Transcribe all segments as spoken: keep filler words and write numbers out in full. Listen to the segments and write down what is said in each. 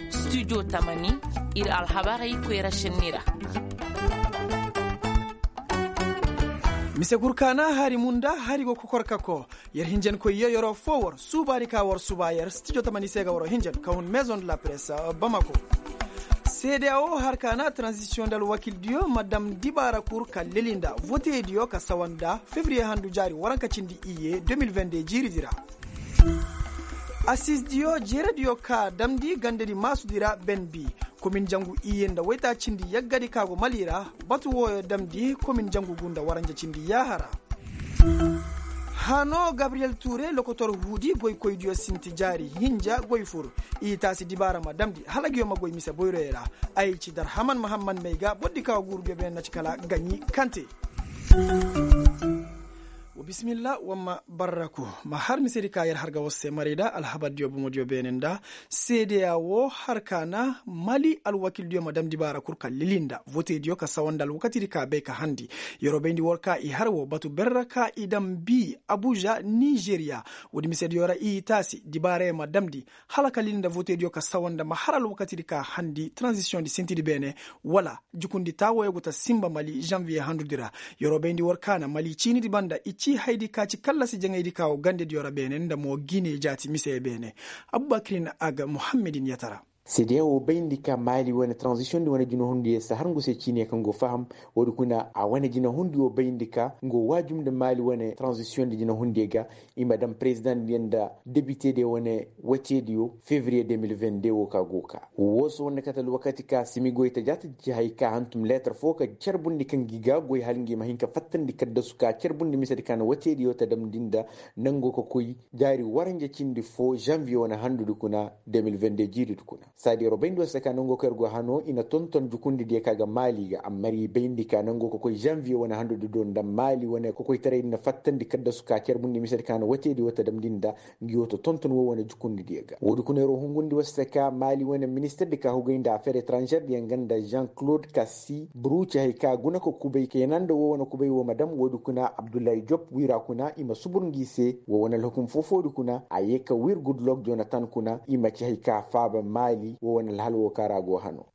Studio tamani, ir alhabarey koyra šenni ra. Mise gurkaana hari munda hari go kokor kako. Yer hinjankoy yo yeroo foo war suubaani ka war suuba yer studio tamani se ga waroo hinjan ka hun maison de la presse, bamako. Seedeya woo har ka na transisiyoŋ nda alwakildiyo ma dam dibaara kur ka leli nda voteediyo ka sawa nda febriye handu jaari waranka cindi iyye deux mille vingt-deux jiiridi ra. Asizdiyo jeerediyo ka damndi gandedi maasudi ra benbi komin jangu iyye nda waytaacindi yaggadi ka go mali ra. Batu wooyo damndi komin jangu gu nda waranja cindi yaaha ra. Hano gabriyel ture lokotor huudi goykoydiyo sinti jaari hinja goy fur. I taasi dibaara ma damndi hala ngiyo ma goy mise boyroyo ra. Ay ci darhaman mahamman may ga bordi ka go guurudiyo beene na ci kala gaɲi kante. Wa bisimilla wamma barraku. Ma har misedi ka yer har ga war se maray da alhabardiyo bomodiyo beene nda seedeya woo har ka na mali alwakildiyo ma dam dibaara kul ka lili nda votediyo ka sawa nda alwakatidi ka bay ka handi. Yeroo bayndi war ka i har woo batu berra ka i dam bii abuja nizeriya. Woodi misediyo ra i taasi dibaarayo ma damndi hala ka lili nda votediyo ka sawa nda ma har alwakatidi ka handi transisiyoŋdi sintidi beene. Wala jukundi taawooyo go ta sinba mali zanviye handudi ra. Yeroo bayndi war ka na mali ciinidi banda i cii hayadi ka ci kallasi jaŋaydi ka wo gandediyo ra beene nda mo gine jaati miseyo beene. Abubakirin aga muhammedin yatara. Seedeya woo bayndi ka maali wane transisiyoŋdi wane jinahundiyo si har ngu se ciiniyo kaŋ go faham. Woodi kuna a wane jinahundi woo bayndi ka ngu woo waajum nda maali wane transisiyoŋdi jinahundiyo ga i ma daŋ perezidaŋdiyo nda debitediyo wane wateediyo fevriye deux mille vingt-deux woo ka go ka woo se wane kate alwakati ka simi goy ta jaati ci hay ka hantum leetar foo ka carbundi kaŋ gi ga goy hala ngi ma hin ka fattandi kaddasu ka carbundi misedi ka na wateediyo ta damndi nda nangoo ka koy jaari waranja cindi foo zanviye wane handudi kuna deux mille vingt-deux jiiridi kuna. Saadi yeroo bayndi war se ka nangoo ka yer go hanoo i na tonton jukundidiyo ka ga maali ga amma ir i bayndi ka nangoo ka koy zanviye wane handudi do nda maali wane kokoytaraydi na fattandi kaddasu ka carbundi misedi ka na wateediyo ta damndi nda ngi woo ta tonton woo wane jukundidiyo ga woodi kuna yeroo hungundi war se ka maali wane ministirdi ka hugay nda afer etranžerdiyo nga nda jean claude kasi buru ci hay ka guna ka kubay kayna nda woo wane kubay woo ma dam woodi kuna abdullahi jop wiira kuna i ma subur ngi se woo wane alhukum foo-foodi kuna a yee ka wir gudlok jonatan kuna i ma ci hay ka faaba maali woo wane alhal woo ka ra go hano.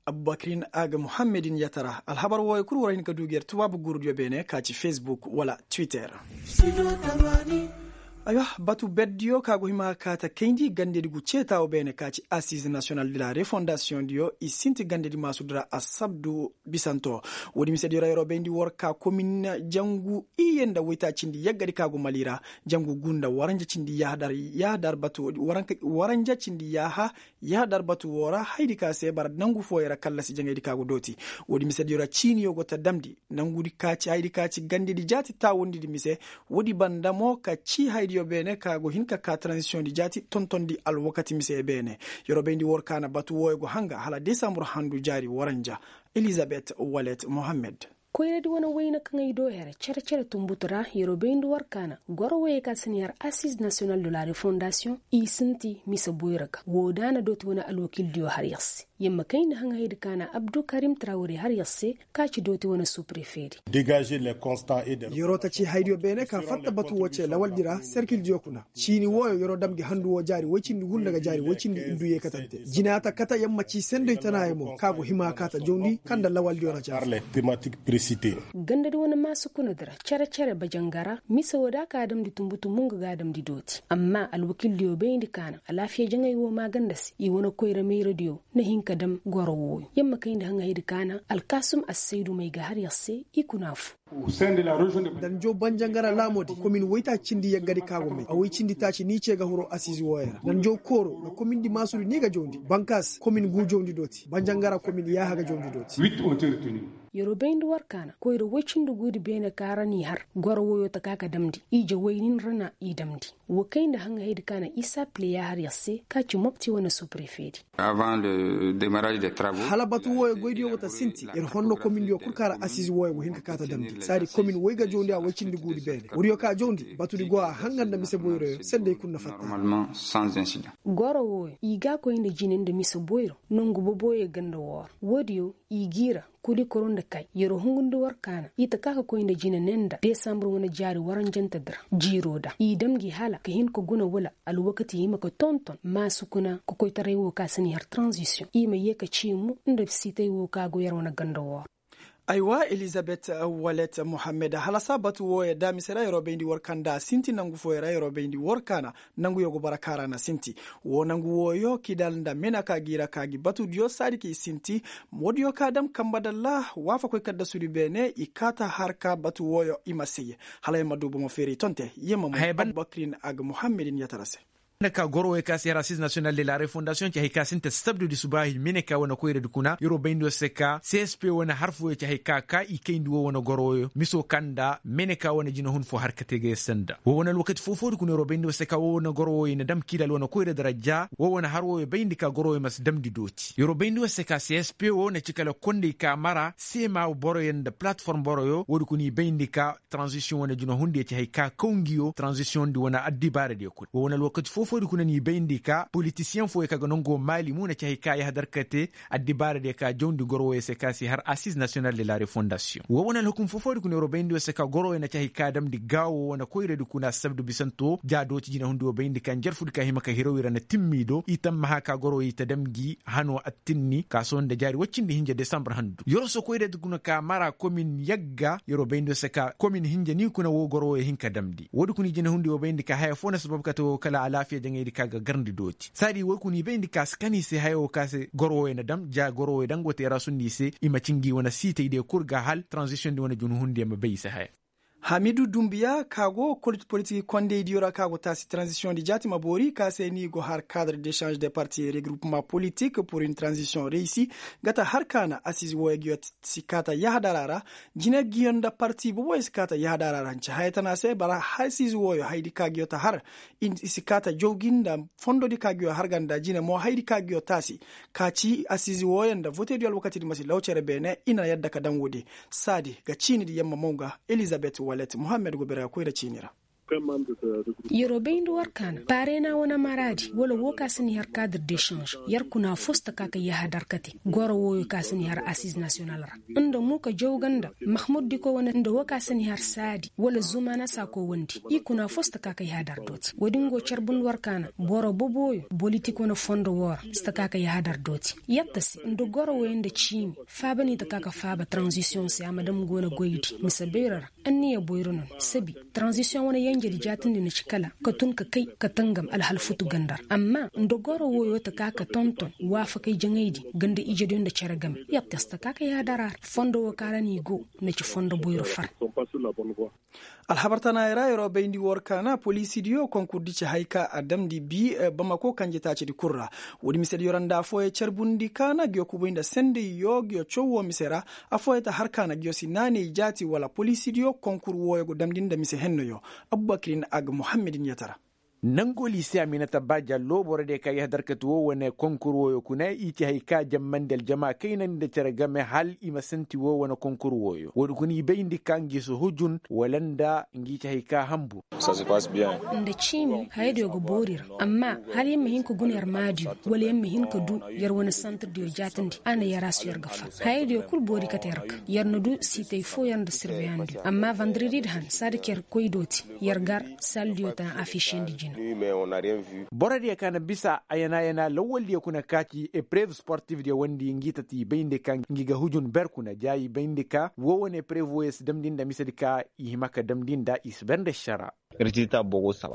Abubakirin aga muhammedin yatara alhabar wooyo kul war hin ka duu gi yer tubaabu guurudiyo beene ka ci facebook wala twitter. Aywa, batu berdiyo ka go hima ka ta kayndi gandedi gu ceetaawo beene ka ci assize national de la refondasiyoŋdiyo i sinti gandedi maasudi ra assabdu bisanto. Woodi misediyo ra yeroo bayndi war ka komin jangu iyye nda waytaacindi yaggadi ka go mali ra. Jangu gu nda waranja cindi yaaha dar batu waranja cindi yaaha yaaha dar batu woo ra hayadi ka se bara nangu fooyo ra kallasi jaŋaydi ka go dooti. Woodi misediyo ra ciiniyo go ta damndi nangudi ka ci hayadi ka ci gandedi jaati taawundidi mise. Woodi banda mo ka cii hayadiyo beene ka go hin ka ka transisiyoŋdi jaati tontondi alwakati mise beene. Yeroo bayndi war ka na batu wooyo go hanga hala desambur handu jaari waranja. Elizabet walet mohammed. Koyradi wane wayne kaŋ ay doo here cere-cere tunbutu ra yeroo bayndi war ka na goro woyey ka si na yar assize nasiyonal de la refondasiyoŋ i sinti mise boyra ga woo da a na dooti wane alwakildiyo har yer se. Yer ma kayndi haŋaydi ka na abdukarim trawre har yer se ka ci dooti wane suprefeedi. Yeroo ta ci haydiyo beene ka fatta batu woo ce lawaldi ra serkildiyo kuna. Ciini wooyo yeroo dam gi handu woo jaari woy cindi gunda ga jaari woy cindi iddu yeekatante jinaata kate yer ma ci senday tanaayo mo ka go hima ka ta jawndi kaŋ nda lawaldiyo na caasa. Gandadi wane maasi kuna di ra cere-cere bajanga ra mise woo da ka damndi tumbu-tumbu nga ga a damndi dooti amma alwakildiyo bayndi ka na alaafiya jaŋay woo maaganda se i wane koyra mayradiyo na hin ka dam goro wooyo yer ma kayndi haŋaydi ka na alkaasum assaydu may ga har yer se i kuna fu. Nda njaw banjangara laamoodi komin woytaaci cindi yaggadi ka go may a woy cindi taaci ni ce ga horo asiizi wooyo ra nda njaw kooro nda komindi maasudi ni ga jawndi bankaas komin guu jawndi dooti banjangara komin yaaha ga jawndi dooti. Yeroo bayndi war ka na koyra woy cindi guudi beene ka ra n'i har goro woyoo ta ka ka damndi ije woy nin ra na i damndi. Woo kay nda haŋaydi ka na isa pleya har yer se ka ci mopti wane suprefeedi. Hala batu wooyo goydiyo go ta sinti yer honno komindiyo kul ka ra asiizi wooyo go hin ka kaa ta damndi. Saadi komin woy ga jawndi a woy cindi guudi beene woodiyo ka jawndi batudi go a hangan nda mise boyroyo sendey kul na fatta. Goro wooyo i ga a koy nda jine nda mise boyro nongu boboyo ganda wooro woodiyo i g'i ra. Kuli koro nda kay yeroo hungundi war kaana i ta ka ka koy nda jine ne nda desambre wane jaari waranjante di ra jiiroo da i dam gi hala ka hin ka guna wala alwakati hima ka tonton maasu kuna ka koytaray woo ka si ni har transisiyoŋ i ma yee ka ciimu nda siitay woo ka go yer wane ganda wooro. Aywa, elizabet walet mohammed, halasa batu wooyo da mise ra yeroo bayndi war kaana nda a sinti nangu fooyo ra yeroo bayndi war kaana. Nanguyo go bara kaara na sinti woo nangu wooyo kidal nda mena ka gi ra ka gi batudiyo saadi ka i sinti. Woodiyo ka dam kamba dalla waafakoy kaddasudi beene i kaata har ka batu wooyo i ma sey hala yer ma du bomo feeray tonte yer ma moy. Abubakrin aga mohammedin yatara se. Nda ka goro wooyo ka si har assiz nasiyonal de la refondasiyoŋ ci hay ka sinti sabdudi subaahi mene ka wane koyradi kuna yeroo bayndi war se ka csp wane har fooyo ci hay ka ka i kayndi woo wane goro wooyo miso ka nda mene ka wane jinahun foo har ka te ga yer se nda woo wane alwakati foo-foodi kuna yeroo bayndi war se ka woo wane goro wooyo na dam kiidal wane koyradi ra ja woo wane har wooyo bayndi ka goro wooyo ma si damndi dooti yeroo bayndi war se ka csp woo na ci kala kondey ka mara seema boroyo nda palatform boroyo woodi kuna i bayndi ka. Transisiyoŋ wane juna hundiyo ci hay ka kaw ngiyo transisiyoŋ di wane addibaaradiyo kuna woo wane alwakati foo-foodi kuna n'i bayndi ka politisiyeŋ fooyo ka ga nangoo maali mo na ci hay ka yahadar ka te. Addibaaradiyo ka jawndi goro wooyo se ka si har assiz nasiyonal de la refondasiyoŋ woo wane alhukum foo-foodi kuna yeroo bayndi woo se ka goro wooyo na ci hay ka damndi gaawo wane koyradi kuna sabdu bisanto jaa dooti jinahundi woo bayndi ka njarfudi ka hima ka hiraw i ra na timmi do i tammaha ka goro wooyo i ta dam gi hanoo attinni ka sohõ nda jaari woy cindi hinja desambar handu yeroo se koyradi kuna ka mara komin yagga yeroo bayndi woo se ka komin hinja ni kuna woo goro wooyo hin ka damndi woodi kuna i jinahundi woo bayndi ka haya foo na sabab kate woo kala alaafiya jaŋaydi ka ga garndi dooti saadi woy kuna i bayndi ka si kan i se haya woo ka se goro wooyo na dam ja goro wooyo daŋ go teerasundi i se i ma ci ngi wane siitaydiyo kul ga hal transisiyoŋ di wane junhundiyo ma bay i se haya. Hamidu dumbiya ka go politik kondeydiyo ra ka go taasi transisiyoŋ di jaati ma boori ka se ni go har kadre desange de parti regroupement politik pur une transisiyoŋ reyisi, nga ta har kaana asiize wooyo ngiyo si kaata yahadara ra. Jine ngiyo nda parti boboyo si kaata yahadara ra nci haya tana se bara asiize wooyo hayadi ka ngiyo ta har i si kaata jaw gi nda fondodi ka ngiyo har ganda jine mo hayadi ka ngiyo taasi. Ka ci asiize wooyo nda votediyo alwakatidi ma si law cere beene i na yadda ka daŋ woodi. Saadi ga ciinidi yer ma maw ga elizabet walet mohammed go bere ga koy nda ciini ra. Yeroo bayndi war kaana paarena wane maraadi wala woo ka si ni har kadir desanž yer kuna foo si ta ka ka yahadar kate goro wooyo ka si ni har asiz nasiyonal ra nda muuka jawga nda mahmud diko wane nda woo ka si ni har saadi wala zumana saako wandi i kuna foo si ta ka ka yahadar dooti woodi ngo carbundi war kaana boro bobooyo bolitik wane fondo woo ra si ta ka ka yahadar dooti yatta se nda goro wooyo nda ciimi faaba ni ta ka ka faaba taranzisiyoŋ se a ma dam go na goydi mise bayra ra. Anniya boyro no ni sabi taranzisiyoŋ wane yenjedi jaatindi na ci kala ka tun ka kay ka tangam alhal futu ganda ra amma nda goro wooyo ta ka ka tonton waafakay jaŋaydi nga nda ijediyo nda cere game yatta si ta ka ka yaadara ra fondo woo ka ra no i go na ci fondo boyro far. Alhabar tanaayey ra yeroo bayndi war kaana poliisidiyo konkurdi ci hay ka a damndi bi bamako kanje taacidi kul ra. Woodi misediyo ra nda affooyey carbundi kaana ngiyo kubay nda sendey yoo ngiyo caw woo mise ra. Affooyey ta har kaana ngiyo si naaney jaati wala poliisidiyo konkur wooyo go damndi nda mise henno yoo. Abubakirin aga muhammedin yatara. Nangoo liise aminata ba jallo borodiyo ka yahadar kate woo wane konkur wooyo kuna i ci hay ka jammandi aljama kaynandi nda cere game hal i ma santi woo wane konkur wooyo woodi kuna i bayndi ka ngi si hujun wala nda ngi ci hay ka hanbur. Nda ciimi hayadiyo ga boori ra amma hal yer ma hin ka guna yer maadiyo wala yer ma hin ka du yer wane santirdiyo jaatindi a na yer a si yer ga far hayadiyo kul boori kate yer ga yer na du siitay foo yer nda sirbeyandiyo amma vandaredi da han saadi ka yer koy dooti yer gar saldiyo ta afisiyandi jina. Borodiyo ka na bisa ayana ayana lawaldiyo kuna ka ci eprev sportivdiyo wandi ngi tati i bayndi ka ngi ga hujun ber kuna ja i bayndi ka woo wane eprev wooyo si damndi nda misedi ka i hima ka damndi nda i si ber nda ašara.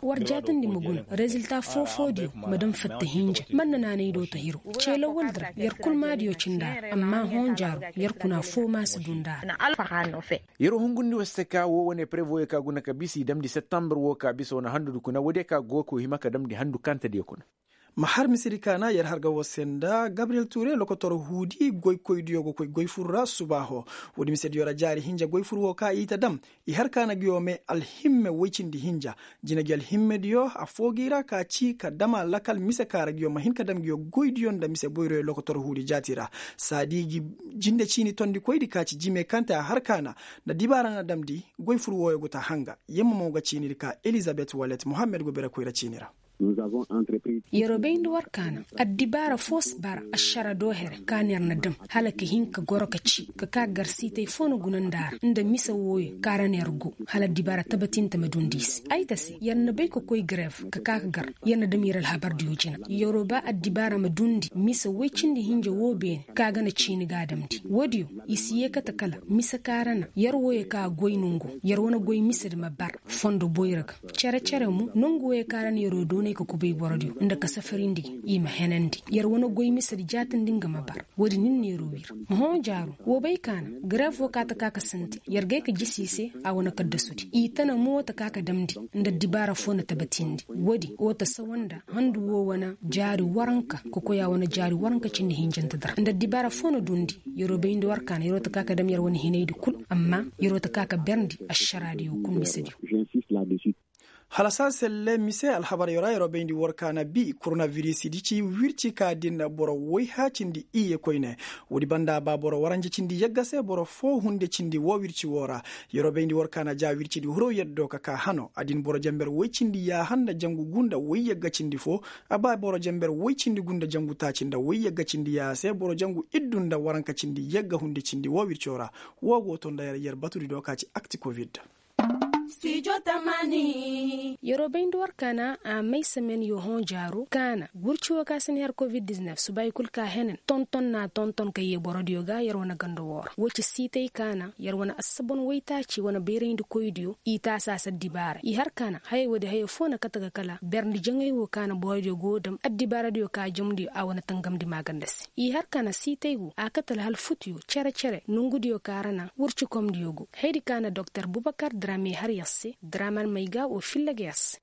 War jaatindi ma guna rezilta foo-foodiyo ma daŋ fatta hinja man na naanay do ta hiro cee lawaldi ra yer kul maadiyo ci nda ra amma hõ jaaro yer kuna foo ma si du nda ra. Yeroo hungundi war se ka woo wane prevoyo ka guna ka bisa i damndi septambur woo ka bisa wane handudi kuna woodiyo ka go ka hima ka damndi handu kantadiyo kuna. Ma har misedi kaana yer har ga woo se nda gabriyel tuure lokotor huudi goykoydiyo go koy goy fur ra subaaho. Woodi misediyo ra jaari hinja goy fur woo ka i ta dam i har kaana ngiyo me alhimme woy cindi hinja. Jina ngi alhimmediyo affoo gi ra ka ci ka dam a lakal mise ka ra ngiyo ma hin ka dam ngiyo goydiyo nda mise boyroyo lokotor huudi jaati ra. Saadi gi jinde ciini tondikoydi ka ci jime kaŋ te a har kaana nda dibaara na damndi. Goy fur wooyo go ta hanga yemma mo ga ciinidi ka elizabet walet mohammed go bere koyra ciini ra. Yeroo bayndi war kaana addibaara foo si bara ašara do here ka na yer na dam hala ka hin ka goro ka ci ka ka gar siitay foo na guna nda a ra nda mise wooyo ka ra na yer go hala addibaara tabatinta ma dundi i se ay ta se yer na bay ka koy gareef ka ka ka gar. Yer na dam yer alhabardiyo jina yeroo ba addibaara ma dundi mise woy cindi hinja woo beene ka ga na ciini ga a damndi woodiyo i si yee kate kala mise ka ra na yer wooyo ka goy nongu yer wane goy misedi ma bar fondo boyra ga. Cere-cere mo nongu wooyo ka ra na yeroo doonay ka kubay borodiyo nda ka safarindi gi i ma henandi yer wane goy misedi jaatindi nga ma bar. Woodi nin na yeroo wir. Hõ jaaru woo bay ka na gareef woo ka ta ka ka sinti yer gay ka jisi i se a wane kaddasudi i tana mo ta ka ka damndi nda addibaara foo na tabatindi woodi woo ta sawa nda handu woo wane jaari waranka ka koy a wane jaari waranka cindi hinjante dara nda addibaara foo na dundi. Yeroo bayndi war kaana yeroo ta ka ka dam yer wane hinaydi kul amma yeroo ta ka ka berndi ašaraadiyo kul misediyo. Hala saa selle mise alhabaryo ra yeroo bayndi war kaana bi koronavirisidi ci wirci ka din boro woyha cindi iyye koyne. Woodi banda ba boro waranje cindi yagga se boro foo hunde cindi woo wirci woo ra. Yeroo bayndi war kaana ja wircidi huroo yaddo ka kaa hano adin boro jamber woy cindi yaaha nda jangu gu nda woy yagga cindi foo. A ba boro jamber woy cindi gu nda jangu taaci nda woy yagga cindi yaaha se boro jangu iddu nda waranka cindi yagga hunde cindi woo wirco ra. Woo go to nda yer yer batudi do ka ci akti kovid. Yeroo bayndi war kaana a may semen yo hõ jaaro kaana wirci woo ka si na her kovid-diznef subaayi kul ka henen tonton na tonton ka yee borodiyo ga yer wane ganda woo ra woo ci siitay kaana yer wane assabon waytaaci wane bayrayndikoydiyo i taasi a si addibaara i har kaana hayey woodi hayey foo na kate ga kala berndi jaŋay woo kaana borodiyo go dam addibaaradiyo ka jamdiyo a wane tangamndi maaganda se i har kaana siitay woo a kate alhal futuyo cere-cere nongudiyo ka ra na wircikomdiyo go haydi ka na doktor bubakar drame har yer se draman may ga woo filla ga yer se.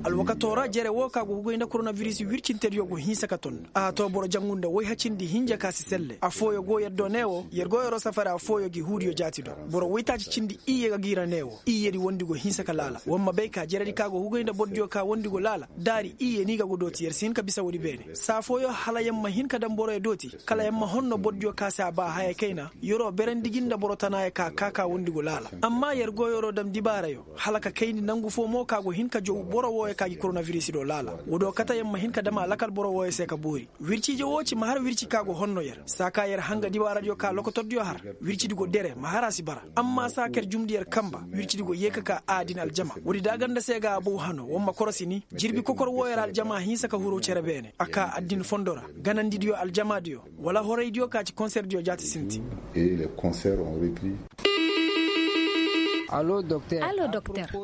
Alwakatoo ra jere woo ka go hugay nda koronaviris wircintediyo go hinsa ka ton a too boro jangu nda woy hacindi hinja ka si selle affooyo go yer do ne woo yer go yeroo safari affooyo gi huudiyo jaati do boro woytaaci cindi iyye ga giira ne woo iyyedi wondi go hinsa ka laala war ma bay ka jeredi ka go hugay nda bordiyo ka wondi go laala daari iyye ni ga go dooti yer si hin ka bisa woodi beene saa fooyo hala yer ma hin ka daŋ boroyo dooti kala yer ma honno bordiyo ka se a ba haya kayna yeroo berandi gi nda boro tanaayo ka kaa ka wondi go laala amma yer go yeroo daŋ dibaarayo hala ka kayndi nangu foo mo ka go hin ka jow boro wooyo ka gi koronavirisido laala woodoo kate yer ma hin ka daŋ a lakal boro wooyo se ka boori wirciije woo ci ma har wirci ka go honno yer saa ka yer hanga dibaaradiyo ka lokotordiyo har wircidi go dere ma har a si bara amma saa ka yer jumndi yer kanba wircidi go yee ka ka aadin aljama woodi daaganda se ga a bow hano war ma korosi ni jirbi kokor wooyo ra aljama hinsa ka huru cere beene a kaa addin fondo ra ganandidiyo aljamaadiyo wala horaydiyo ka ci konserdiyo jaati sinti. Allo doktor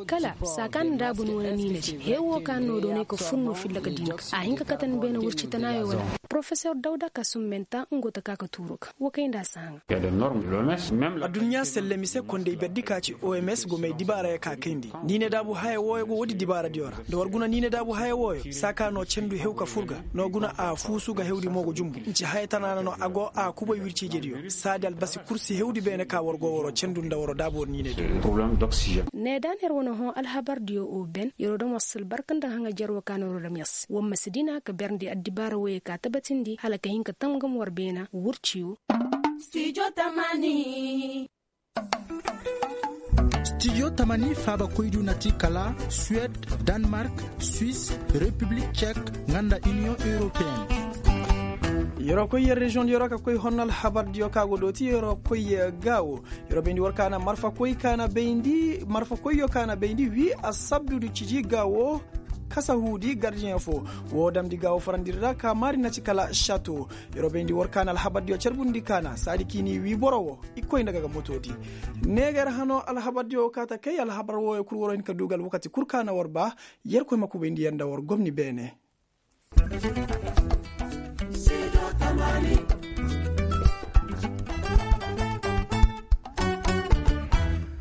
kala saa ka na daabu ni wane niinadi hee woo ka na noo doonay ka fur noo filla ka dinka a hin ka kate ni beene wirci tanaayo wala porofesor dawda ka summenta nga go ta ka ka tuuru ga woo kay nda a si haŋa. Adduɲɲa selle mise konday berdi ka ci oms go may dibaarayo ka kayndi niine daabu haya wooyo go woodi dibaaradiyo ra nda war guna niine daabu haya wooyo saa ka noo cendu hew ka fur ga noo guna a fuusu ga hewdi mo go jumbu nci haya tanaana no a go a kubay wirciijediyo saadi albasi kul si hewdi beene ka war go waroo cendu nda waroo daabu war niinediyo. Needa na yer wane hõ alhabardiyo o ben yeroo daŋ war si albarka nda haŋajer woo ka na waroo daŋ yer se war ma si dina ka berndi addibaara woyey ka tabatindi hala ka hin ka tangam war beena wurciyo. Stijo tamani faabakoydiyo na ti kala suwed, danmark, swis, repiblik cek, nga nda iniyoŋ europeen. Yeroo koy yer reziyoŋ yeroo ka koy honno alhabardiyo ka go dooti yeroo koy gaawo yeroo bayndi war ka na marfakoy ka na bayndi marfakoyyo ka na bayndi wii asabdudu ciji gaawo. Kasahuudi gardiyeŋ fo woo damndi gaawo farandiri ra ka maari na ci kala šato. Yeroo bayndi war ka na alhabardiyo carbundi ka na saadi k'i n'i wii boro woo i koy nda ga ga motoodi. Neeger hano alhabardiyo woo ka ta kay alhabar wooyo kul waroo hin ka duu ga alwakati kul ka na war baa. Yerkoy ma kubayndi yer nda war gomni beene.